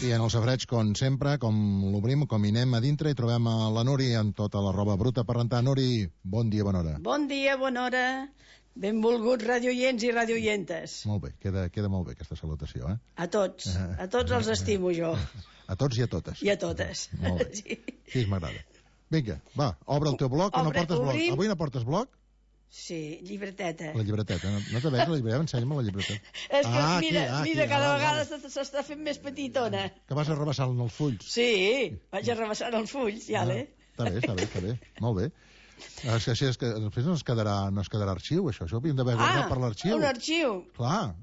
aquí en el safareig, com sempre, com l'obrim, com hi anem a dintre, i trobem a la Nuri amb tota la roba bruta per rentar. Nuri, bon dia, bona hora. Bon dia, bona hora. Benvolguts radioients i radioientes. Molt bé, queda molt bé aquesta salutació, eh? A tots els estimo jo. A tots i a totes. I a totes. Molt bé, sí, m'agrada. Vinga, va, obre el teu bloc, o no portes bloc? Avui no portes bloc? Sí, llibreteta. La llibreteta, no te veus la llibreteta? Ensenya'm la llibreteta. És que mira, cada vegada s'està fent més petitona. Que vas arrabassant els fulls. Sí, vaig arrabassant els fulls, ja l'he. Està bé, molt bé. És que després no es quedarà arxiu, això ho havíem d'haver guardat per l'arxiu. Un arxiu. Clar,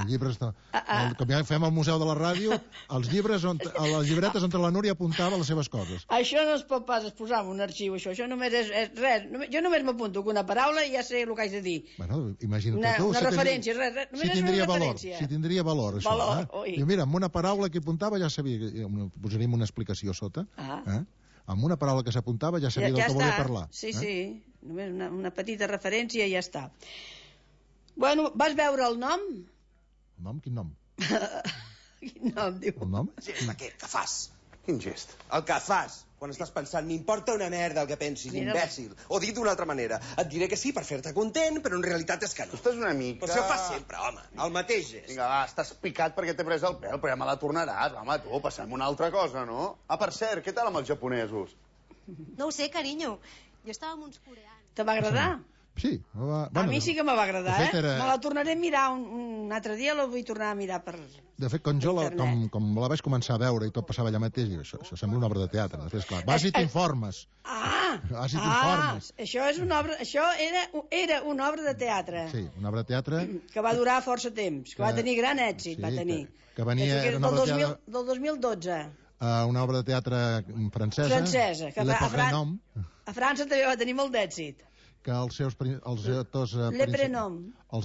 llibres com ja fem al Museu de la Ràdio, els llibres a les llibretes on la Núria apuntava les seves coses. Això no es pot pas posar en un arxiu, això només és res, jo només m'apunto que una paraula i ja sé el que haig de dir. Bueno, imagina't tu. Una referència, res, només és una referència. Si tindria valor, això. I mira, amb una paraula que apuntava ja sabia, posaríem una explicació sota, amb una paraula que s'apuntava ja sabia del que volia parlar. Sí, només una petita referència i ja està. Bueno, vas veure el nom? El nom? Quin nom? Quin nom, diu? El nom? Gest aquest que fas. Quin gest? El que fas quan estàs pensant, m'importa una merda el que pensis, imbècil. O dit d'una altra manera, et diré que sí per fer-te content, però en realitat és que no. Tu estàs una mica... Però això ho fas sempre, home. El mateix gest. Vinga, va, estàs picat perquè t'he pres el pèl, però ja me la tornaràs. Home, tu, passem una altra cosa, no? Ah, per cert, què tal amb els japonesos? No ho sé, carinyo. Jo estava amb uns coreans. Te va agradar? Sí. A mi sí que me va agradar, Me la tornaré a mirar un altre dia, la vull tornar a mirar per... De fet, com la vaig començar a veure i tot passava allà mateix, això sembla una obra de teatre. Després, clar, vas i t'informes. Això era una obra de teatre. Sí, una obra de teatre... Que va durar força temps, que va tenir gran èxit, va tenir. Que venia... Del 2012. Una obra de teatre francesa. Que a França també va tenir molt d'èxit. Que els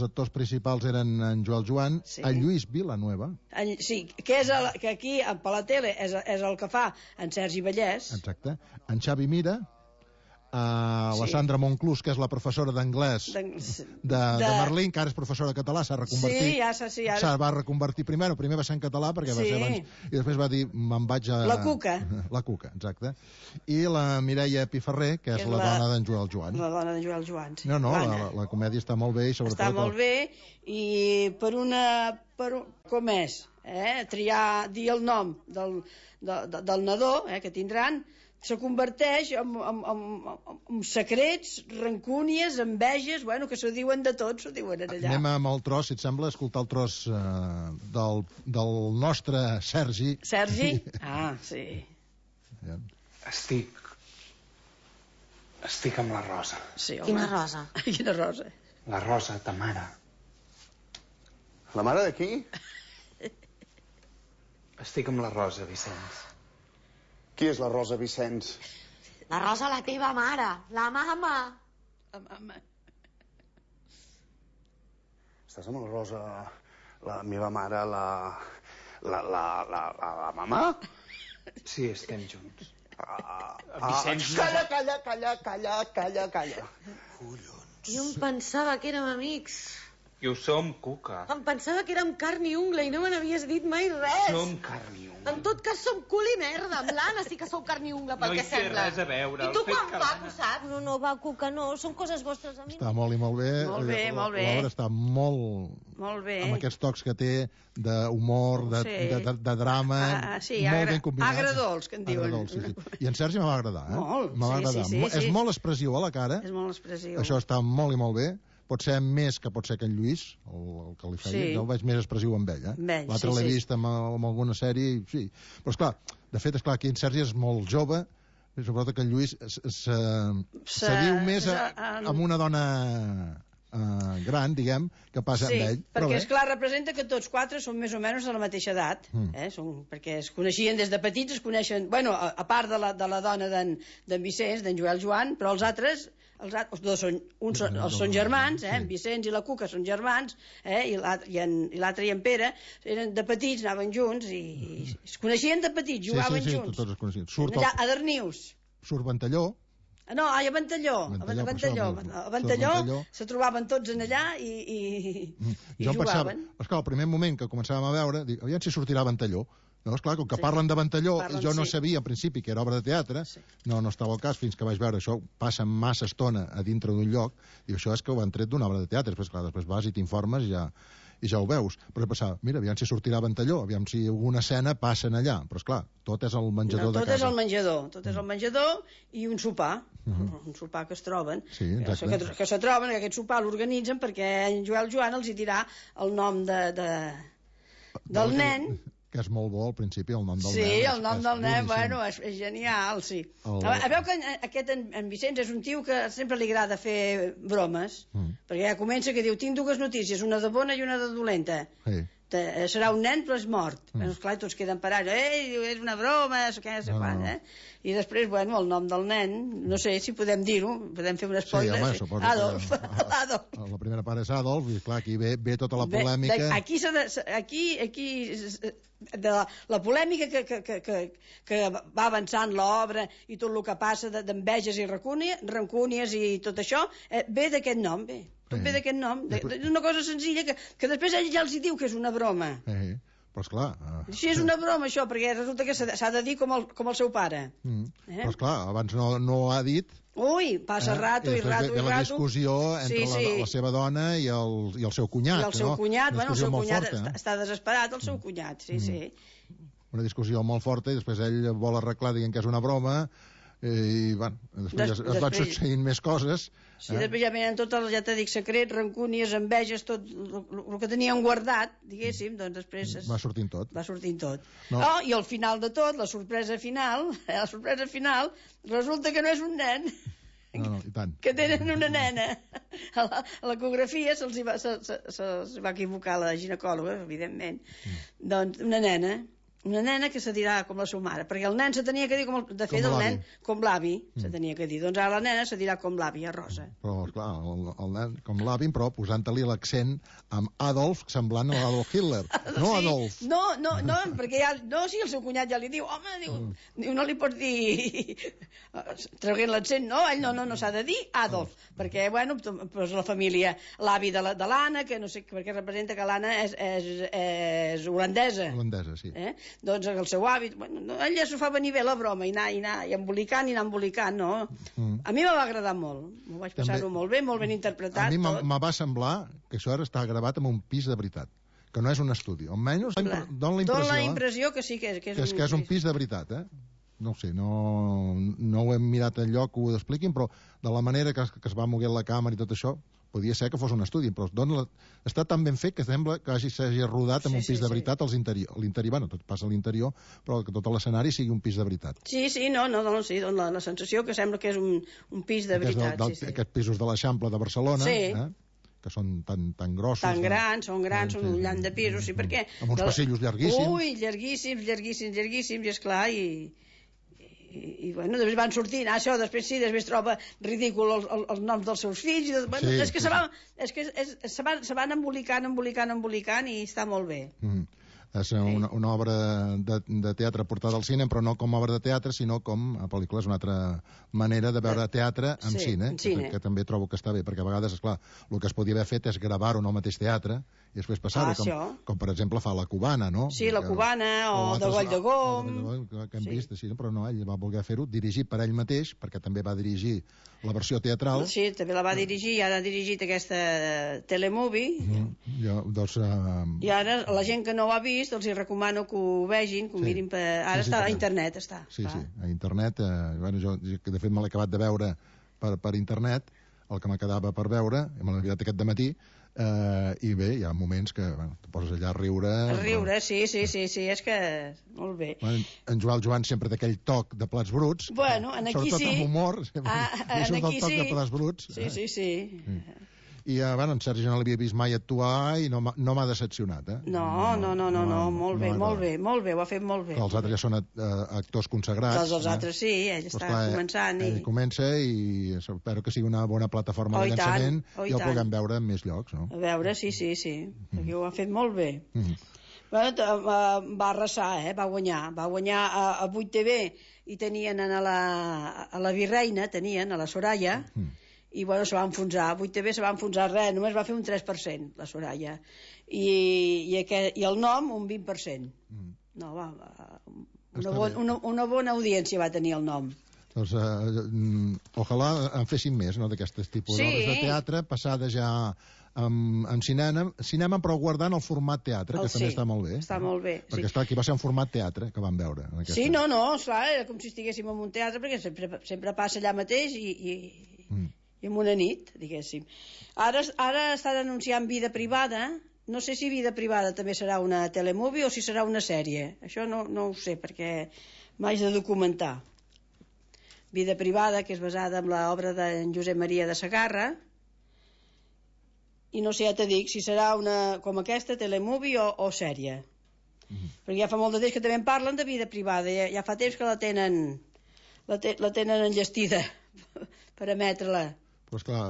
actors principals eren en Joel Joan, en Lluís Villanueva. Sí, que aquí, per la tele, és el que fa en Sergi Vallès. Exacte. En Xavi Mira, la Sandra Monclús, que és la professora d'anglès de Merlín, que ara és professora de català, s'ha reconvertit. Sí, s'ha va reconvertir primer va ser en català, perquè va ser abans, i després va dir, me'n vaig a... La Cuca. La Cuca, exacte. I la Mireia Piferrer, que és la dona d'en Joel Joan. La dona d'en Joel Joan, sí. No, la comèdia està molt bé, i sobretot... Està molt bé, i com és? Dir el nom del nadó, que tindran, se converteix en secrets, rancúnies, enveges, que s'ho diuen de tot, s'ho diuen allà. Anem amb el tros, si et sembla, escoltar el tros del nostre Sergi. Sergi? Ah, sí. Estic amb la Rosa. Sí, home. Quina Rosa? Quina Rosa? La Rosa, ta mare. La mare de qui? Estic amb la Rosa, Vicenç. Qui és la Rosa Vicenç? La Rosa, la teva mare, la mama. La mama. Estàs amb la Rosa, la meva mare, la mama? Sí, estem junts. Vicenç... Calla. Collons. Jo em pensava que érem amics. I ho som, Cuca. Em pensava que érem carn i ungla i no me n'havies dit mai res. Som carn i ungla. En tot cas som cul i merda. Amb l'Anna sí que sou carn i ungla, pel que sembla. No hi té res a veure. I tu quan va, ho saps? No, va, Cuca, no. Són coses vostres a mi. Està molt i molt bé. Molt bé. L'obra està molt bé. Amb aquests tocs que té d'humor, de drama, molt ben combinats. Agradols, que en diuen. Sí. I en Sergi me va agradar, Molt. Me va agradar. És molt expressiu a la cara. És molt expressiu. Això està molt i molt bé. Pot ser més que pot ser que en Lluís, el que li feia, jo el veig més expressiu amb ell, L'altre l'he vist amb alguna sèrie, sí. Però esclar, de fet, aquí en Sergi és molt jove, i sobretot que en Lluís se diu més amb una dona gran, diguem, que passa amb ell. Sí, perquè esclar, representa que tots quatre són més o menys de la mateixa edat, perquè es coneixien des de petits, es coneixen, a part de la dona d'en Vicenç, d'en Joel Joan, però els altres dos són germans, en Vicenç i la Cuca són germans, i l'altre i en Pere eren de petits, anaven junts i es coneixien de petits, jugaven junts. Sí, tots es coneixien. Allà, a Darnius. Surt Ventalló. No, a Ventalló. A Ventalló se trobaven tots en allà i jugaven. Esclar, el primer moment que començàvem a veure, dic, aviam si sortirà Ventalló. No, esclar, com que parlen de Ventalló, jo no sabia al principi que era obra de teatre, no estava al cas fins que vaig veure això, passa massa estona a dintre d'un lloc, i això és que ho han tret d'una obra de teatre, després vas i t'informes i ja ho veus. Però pensava, mira, aviam si sortirà Ventalló, aviam si alguna escena passen allà, però esclar, tot és el menjador de casa. Tot és el menjador i un sopar, un sopar que es troben, que se troben, que aquest sopar l'organitzen perquè en Joel Joan els hi dirà el nom del nen. Que és molt bo al principi, el nom del nen. Sí, el nom del nen, bueno, és genial, sí. Veu que aquest en Vicenç és un tio que sempre li agrada fer bromes, perquè ja comença que diu, tinc dues notícies, una de bona i una de dolenta. Serà un nen però és mort. Esclar, tots queden parats, és una broma, què sé quan, I després, bueno, el nom del nen, no sé si podem dir-ho, podem fer un spoiler. Sí, home, suposo Adolf. La primera part és Adolf, i clar, aquí ve tota la polèmica. Aquí de la polèmica que va avançant l'obra i tot el que passa d'enveges i rancúnies i tot això, ve d'aquest nom, tot ve d'aquest nom. És una cosa senzilla que després ell ja els hi diu que és una broma. Però esclar... Sí, és una broma això, perquè resulta que s'ha de dir com el seu pare. Però esclar, abans no ho ha dit... Ui, passa rato i rato. Ve la discussió entre la seva dona i el seu cunyat. I el seu cunyat, bueno, el seu cunyat està desesperat, el seu cunyat, sí. Una discussió molt forta i després ell vol arreglar dient que és una broma i, bueno, després es van succeint més coses. Sí, després ja venen tots els, ja t'he dit, secrets, rancúnies, enveges, tot el que tenien guardat, diguéssim, doncs després... Va sortint tot. I al final de tot, la sorpresa final, resulta que no és un nen. No, i tant. Que tenen una nena. A l'ecografia se'ls va equivocar la ginecòloga, evidentment. Doncs una nena que se dirà com la seva mare, perquè el nen se tenia que dir, de fet el nen, com l'avi, se tenia que dir. Doncs ara la nena se dirà com l'àvia Rosa. Però, clar, el nen com l'avi, però posant-li l'accent amb Adolf, semblant a l'Adolf Hitler. No Adolf. No, perquè sí, el seu cunyat ja li diu, home, diu, no li pots dir traient l'accent, no, ell no s'ha de dir Adolf, perquè, bueno, pues la família, l'avi de l'Anna, que no sé, perquè representa que l'Anna és holandesa. Holandesa, sí. Doncs el seu avi, bueno, ell ja s'ho fa venir bé la broma, i anar embolicant, no? A mi me va agradar molt, m'ho vaig passar-ho molt ben interpretat. A mi me va semblar que això ara està gravat en un pis de veritat, que no és un estudi, almenys dona la impressió que sí que és un pis de veritat, no ho sé, no ho hem mirat enlloc que ho expliquin, però de la manera que es va moguent la càmera i tot això, podia ser que fos un estudi, però està tan ben fet que sembla que s'hagi rodat en un pis de veritat l'interior, bueno, tot passa a l'interior, però que tot l'escenari sigui un pis de veritat. Sí, la sensació que sembla que és un pis de veritat. Aquests pisos de l'Eixample de Barcelona, que són tan grossos. Tan grans, són un llant de pisos, sí, perquè... Amb uns passillos llarguíssims. Ui, llarguíssims, i esclar, i bueno, després van sortint, això, després troba ridícul els noms dels seus fills, és que se van embolicant i està molt bé. És una obra de teatre portada al cine, però no com a obra de teatre, sinó com a pel·lícula. És una altra manera de veure teatre en cine, que també trobo que està bé, perquè a vegades, esclar, el que es podia haver fet és gravar-ho en el mateix teatre i després passar-ho, com per exemple fa La Cubana, no? Sí, La Cubana, o de Goll de Gom... Que hem vist, però no, ell va voler fer-ho dirigit per ell mateix, perquè també va dirigir la versió teatral. Sí, també la va dirigir, i ara ha dirigit aquesta telemovie. I ara la gent que no ho ha vist, els hi recomano que ho vegin, que ho mirin ara està a internet, està. Sí, a internet, jo de fet me l'he acabat de veure per internet, el que m'quedava per veure, me l'he mirat aquest dematí, i bé, hi ha moments que te poses allà a riure. Sí, és que molt bé. En Joel Joan sempre d'aquell toc de plats bruts, sobretot amb humor, surt el toc de plats bruts. Sí. I en Sergi no l'havia vist mai actuar i no m'ha decepcionat. No, molt bé, ho ha fet molt bé. Els altres ja són actors consagrats. Els altres sí, ell està començant. Ell comença i espero que sigui una bona plataforma de llançament i el puguem veure en més llocs. A veure, sí, perquè ho ha fet molt bé. Va arrasar, va guanyar a 8TV i tenien a la Virreina, tenien a la Soraya, i bueno, se va enfonsar, 8TV se va enfonsar res, només va fer un 3%, la Soraya, i el nom un 20%. No, una bona audiència va tenir el nom. Doncs ojalà en fessin més, no?, d'aquestes tipus d'obres de teatre, passades ja en cinema, però guardant el format teatre, que també està molt bé. Està molt bé. Perquè està aquí va ser un format teatre que vam veure. Sí, no, esclar, era com si estiguéssim en un teatre, perquè sempre passa allà mateix i en una nit, diguéssim. Ara estan anunciant Vida privada. No sé si Vida privada també serà una telemovie o si serà una sèrie. Això no ho sé, perquè m'haig de documentar. Vida privada, que és basada en l'obra d'en Josep Maria de Sagarra, i no sé, ja te dic, si serà una com aquesta, telemovie o sèrie. Perquè ja fa molt de temps que també en parlen de vida privada, ja fa temps que la tenen enllestida per emetre-la. Pues clar,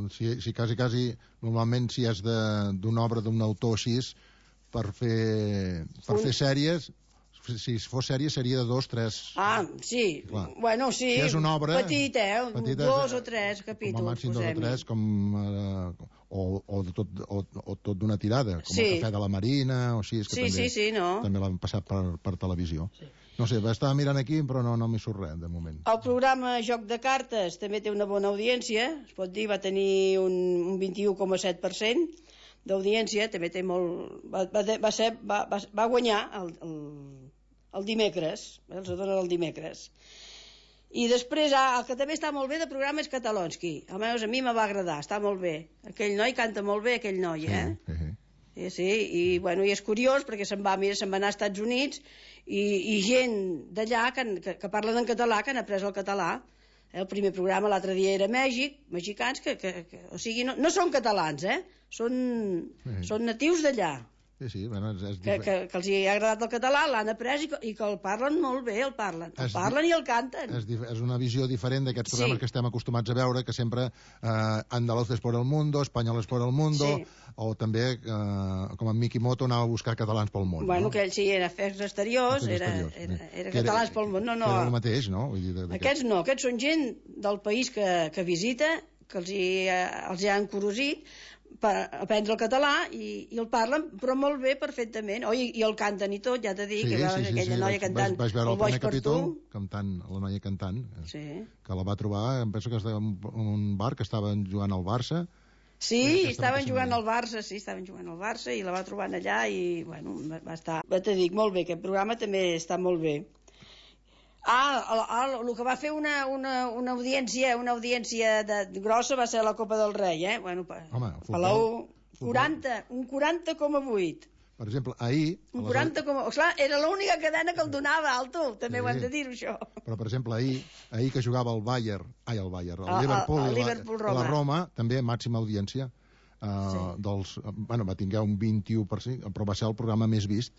si quasi, normalment si és d'una obra d'un autor així, per fer sèries, si fos sèrie seria de 2, 3... Ah, sí, clar. Bueno, sí, si és una obra petita, 2 o 3 capítols. Com a màxim 2 o 3, o tot d'una tirada, com el Cafè de la Marina, o així, que també l'han passat per televisió. Sí. No sé, estava mirant aquí, però no m'hi surt res, de moment. El programa Joc de Cartes també té una bona audiència, es pot dir, va tenir un 21,7% d'audiència, també té molt... Va guanyar el dimecres, els donen el dimecres. I després, el que també està molt bé de programa és Catalonsky. Almenys a mi me va agradar, està molt bé. Aquell noi canta molt bé, aquell noi, Sí, i és curiós perquè se'n va anar als Estats Units i gent d'allà que parlen en català, que han après el català. El primer programa l'altre dia era Mèxic, mexicans o sigui, no són catalans, són natius d'allà. Sí, bueno, que els hi ha agradat el català, l'han après i que el parlen molt bé, el parlen i el canten. És una visió diferent d'aquests programes que estem acostumats a veure, que sempre andaluces por el mundo, españoles por el mundo, o també, com en Miki Moto, anava a buscar catalans pel món. Bueno, que ell sí, era afers exteriors, era catalans pel món. No, era el mateix, no? Aquests no, aquests són gent del país que visita, que els hi han encorosit per aprendre el català i el parlen, però molt bé, perfectament. I el canten i tot, ja t'he dit, que aquella noia cantant vaig veure el primer capítol, la noia cantant, que la va trobar, em penso que estava en un bar que estaven jugant al Barça. Sí, estaven jugant al Barça i la va trobar allà i, bueno, va estar... T'he dit, molt bé, aquest programa també està molt bé. El que va fer una audiència grossa va ser la Copa del Rei, Bueno, Palau, 40,8. Per exemple, ahir... Clar, era l'única cadena que el donava, Alto, també ho hem de dir, això. Però, per exemple, ahir que jugava el Liverpool i la Roma, també màxima audiència. Va tinguer un 21%, però va ser el programa més vist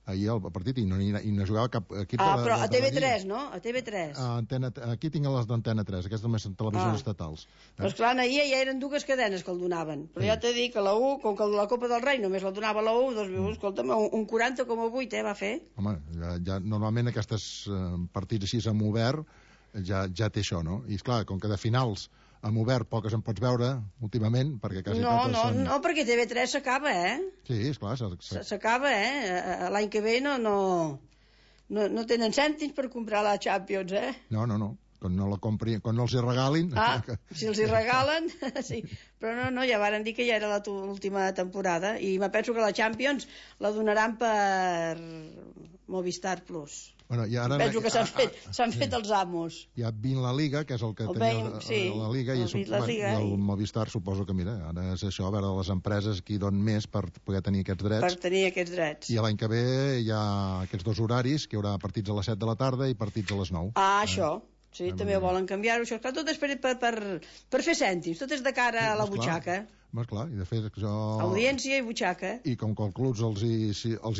ahir al partit i no jugava cap equip però a TV3, no? A TV3. Aquí tinc les d'Antena 3, aquestes només són televisions estatals. Però esclar, ahir ja eren dues cadenes que el donaven, però ja t'he dit que la U, com que la Copa del Rei només la donava la U, doncs escolta'm, un 40,8 va fer. Home, ja normalment aquests partits així amb obert ja té això, no? I esclar, com que de finals amb obert poques en pots veure últimament, perquè quasi totes són... No, perquè TV3 s'acaba, Sí, esclar. S'acaba, L'any que ve no tenen cèntims per comprar la Champions, No. Quan no els hi regalin... Si els hi regalen, sí. Però no, ja varen dir que ja era l'última temporada i me penso que la Champions la donaran per Movistar Plus. Bueno, penso que s'han fet els amos. Ja vint la Liga, que és el que tenia la Liga, i el Movistar suposo que, mira, ara és això, a veure les empreses qui donen més per poder tenir aquests drets. Per tenir aquests drets. I l'any que ve hi ha aquests dos horaris, que hi haurà partits a les 7 de la tarda i partits a les 9. Això. Sí, també ho volen canviar-ho, això. Tot és per fer cèntims, tot és de cara a la butxaca. Clar, i de fet això... Audiència i butxaca. I com que els clubs els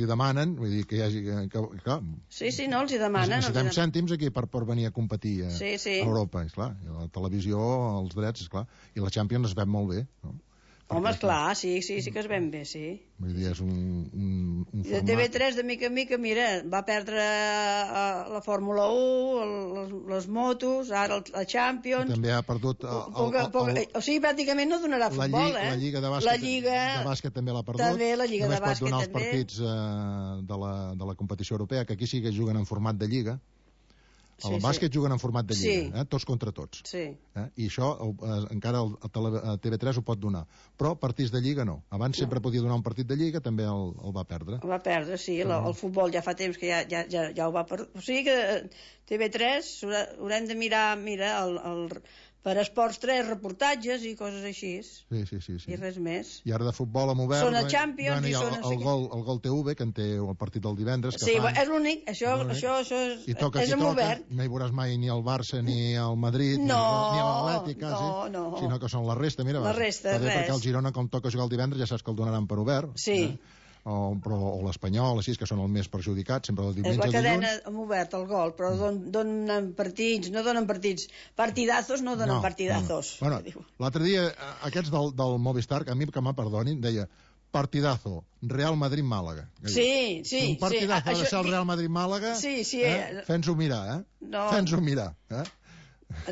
hi demanen, vull dir que hi hagi... Clar, sí, no, els hi demanen. Necessitem cèntims aquí per venir a competir a Europa, esclar. I la televisió, els drets, esclar. I la Champions es veu molt bé, no? Home, esclar, sí que es ven bé, sí. Vull dir, és un de TV3, de mica en mica, mira, va perdre la Fórmula 1, les motos, ara la Champions... També ha perdut... O sigui, pràcticament no donarà futbol, La Lliga de bàsquet també l'ha perdut. També, la Lliga de bàsquet també. Només pot donar els partits de la competició europea, que aquí sí que juguen en format de Lliga. El bàsquet juguen en format de Lliga, tots contra tots. I això encara el TV3 ho pot donar. Però partits de Lliga no. Abans sempre podia donar un partit de Lliga, també el va perdre. El va perdre, sí. El futbol ja fa temps que ja ho va perdre. O sigui que TV3 haurem de mirar per Esports 3 reportatges i coses així. Sí. I res més. I ara de futbol amb Obert... Són a Champions i són... El Gol TV, que en té el partit del divendres. Sí, és l'únic. Això és amb Obert. No hi veuràs mai ni el Barça, ni el Madrid, ni l'Atlètic, quasi. No. Sinó que són la resta, mira. La resta, res. Perquè el Girona, com toca jugar el divendres, ja saps que el donaran per Obert. Sí. O l'Espanyol, així, que són els més perjudicats, sempre el diumenge. És la cadena amb Obert, el Gol, però donen partits, no donen partits. Partidazos no donen partidazos. Bueno, l'altre dia, aquests del Movistar, que a mi que me perdonin, deia partidazo, Real Madrid-Màlaga. Sí. Un partidazo ha de ser el Real Madrid-Màlaga, fent-s'ho mirar, Fent-s'ho mirar,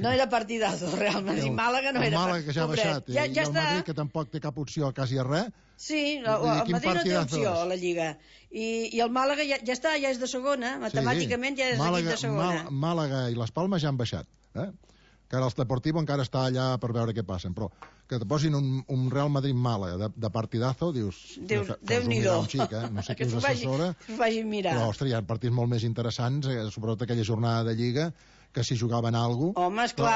No era partidazo, Real Madrid-Màlaga no era. El Màlaga que ja ha baixat, i el Madrid que tampoc té cap opció quasi a res. Sí, el Madrid no té opció a la Lliga. I el Màlaga ja està, ja és de segona, matemàticament ja és equip de segona. Màlaga i les Palmes ja han baixat, que ara el Deportivo encara està allà per veure què passen, però que te posin un Real Madrid-Màlaga de partidazo, dius... Déu-n'hi-do. No sé qui us assessora, però, ostres, hi ha partits molt més interessants, sobretot aquella jornada de Lliga, que si jugaven alguna cosa... Home, esclar,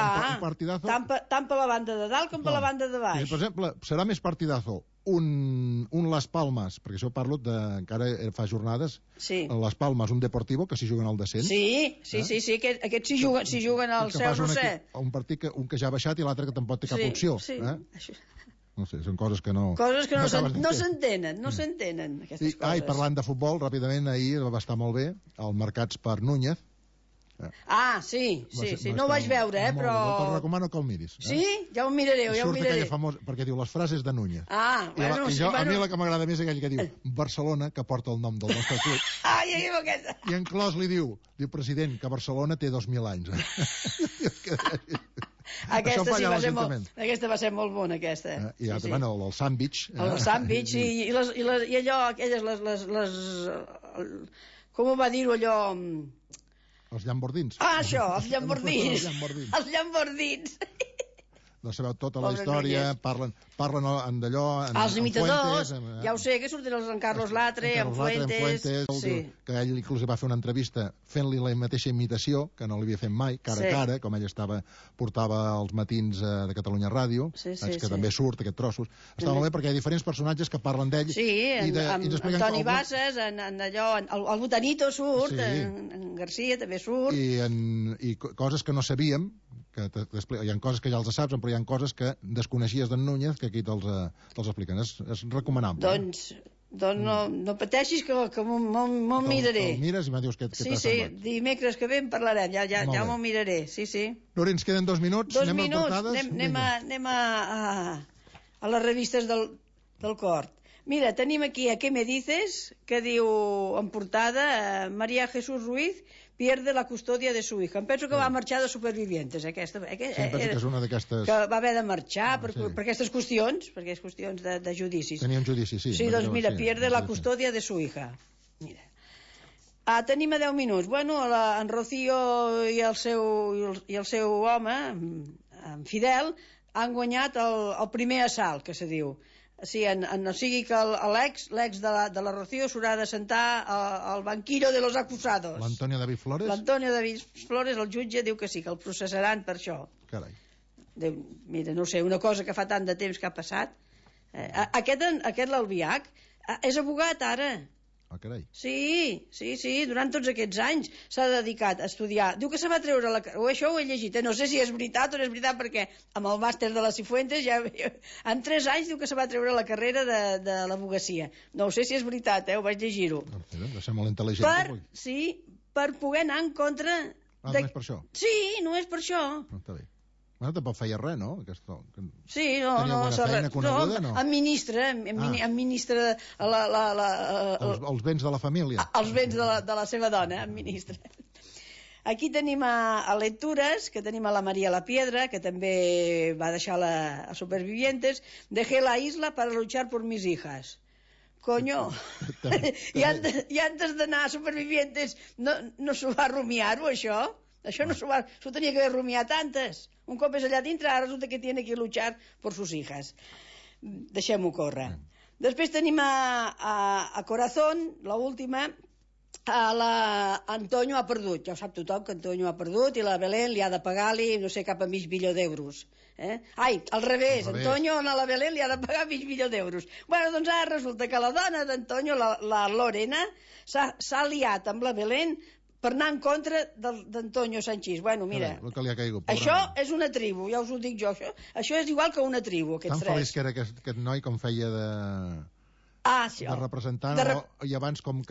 tant per la banda de dalt com per la banda de baix. Per exemple, serà més partidazo un Las Palmes, perquè això parlo encara fa jornades, Las Palmes, un Deportivo, que si juguen al descens. Sí, aquests si juguen al Seu Roser. Un partit un que ja ha baixat i l'altre que tampoc té cap opció. No sé, són coses que no... Coses que no s'entenen, aquestes coses. I parlant de futbol, ràpidament, ahir va estar molt bé, el Marcats per Núñez. Sí, no ho vaig veure, però... Te'l recomano que el miris. Sí? Ja ho miraré, Surt aquella famosa, perquè diu les frases de Núñez. A mi la que m'agrada més és aquell que diu Barcelona, que porta el nom del nostre club. I en clos li diu, president, que Barcelona té 2.000 anys. Aquesta va ser molt bona, aquesta. I el sàndwich. El sàndwich i allò, aquelles, com ho va dir-ho allò... Els llambordins. Això, els llambordins. Els llambordins. No sabeu tota la història, parlen d'allò... Els imitadors, ja ho sé, que surten en Carlos Latre, en Fuentes... Que ell inclús va fer una entrevista fent-li la mateixa imitació, que no l'havia fet mai, cara a cara, com ell portava els matins de Catalunya Ràdio, que també surt aquest trossos. Està molt bé perquè hi ha diferents personatges que parlen d'ell. Sí, en Toni Bassas, en allò, el Botanito surt, en Garcia també surt... I coses que no sabíem, hi ha coses que ja els saps, però hi ha coses que desconeixies d'en Núñez que aquí te'ls expliquen. És recomanable. Doncs no pateixis que m'ho miraré. Te'l mires i me dius què t'ha semblat. Sí, dimecres que ve en parlarem, ja m'ho miraré. Sí. Lori, ens queden 2 minuts. Anem a les revistes del Cort. Mira, tenim aquí a Què me dices, que diu en portada María Jesús Ruiz pierde la custodia de su hija. Em penso que va marxar de Supervivientes, aquesta. Penso que és una d'aquestes... Que va haver de marxar per aquestes qüestions, perquè és qüestions de judicis. Tenia un judici, sí. Sí, doncs mira, pierde la custodia de su hija. Mira. Tenim a 10 minuts. Bueno, en Rocío i el seu home, en Fidel, han guanyat el primer assalt, que se diu. O sigui que l'ex de la Rocío s'haurà de sentar al banquillo de los acusados. L'Antonio David Flores? L'Antonio David Flores, el jutge, diu que sí, que el processaran per això. Carai. Mira, no sé, una cosa que fa tant de temps que ha passat. Aquest l'Albiach és abogat ara. Carai. Sí, durant tots aquests anys s'ha dedicat a estudiar. Diu que se va treure això ho he llegit, no sé si és veritat o no és veritat, perquè amb el màster de la Cifuentes en 3 anys diu que se va treure la carrera de l'abogacia. No sé si és veritat, ho vaig llegir-ho. Deu ser molt intel·ligent. Per poder anar en contra... No és per això? Sí, no és per això. Està bé. Bueno, tampoc feia res, no? Sí, no, administra els béns de la família. Els béns de la seva dona, administra. Aquí tenim a Lectures, que tenim a la María La Piedra, que també va deixar a Supervivientes. Dejé la isla para luchar por mis hijas. Coño, i antes d'anar a Supervivientes no s'ho va rumiar-ho, això? Això no s'ho tenia que haver rumiat antes. Un cop és allà dintre, ara resulta que tiene que luchar por sus hijas. Deixem-ho córrer. Després tenim a Corazón, l'última. Antonio ha perdut, ja ho sap tothom que Antonio ha perdut i la Belén li ha de pagar-li no sé cap a mig milió d'euros. Ai, al revés, Antonio a la Belén li ha de pagar mig milió d'euros. Bueno, doncs ara resulta que la dona d'Antonio, la Lorena, s'ha liat amb la Belén per anar en contra d'Antonio Sanchís. Bueno, mira, això és una tribu, ja us ho dic jo, això és igual que una tribu, aquests tres. Tan feliç que era aquest noi com feia de representant, i abans com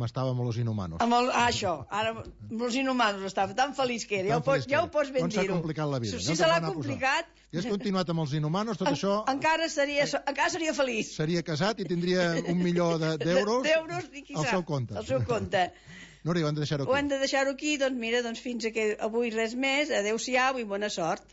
estava amb Los Inhumanos. Això, ara Los Inhumanos estava tan feliç que era, ja ho pots ben dir-ho. On s'ha complicat la vida. Si se l'ha complicat... Si hagués continuat amb Els Inhumanos, tot això... Encara seria feliç. Seria casat i tindria $1 milió d'euros al seu compte. Al seu compte. Núria, ho hem de deixar-ho aquí. Ho hem de deixar-ho aquí, doncs mira, fins aquí avui res més. Adéu-siau i bona sort.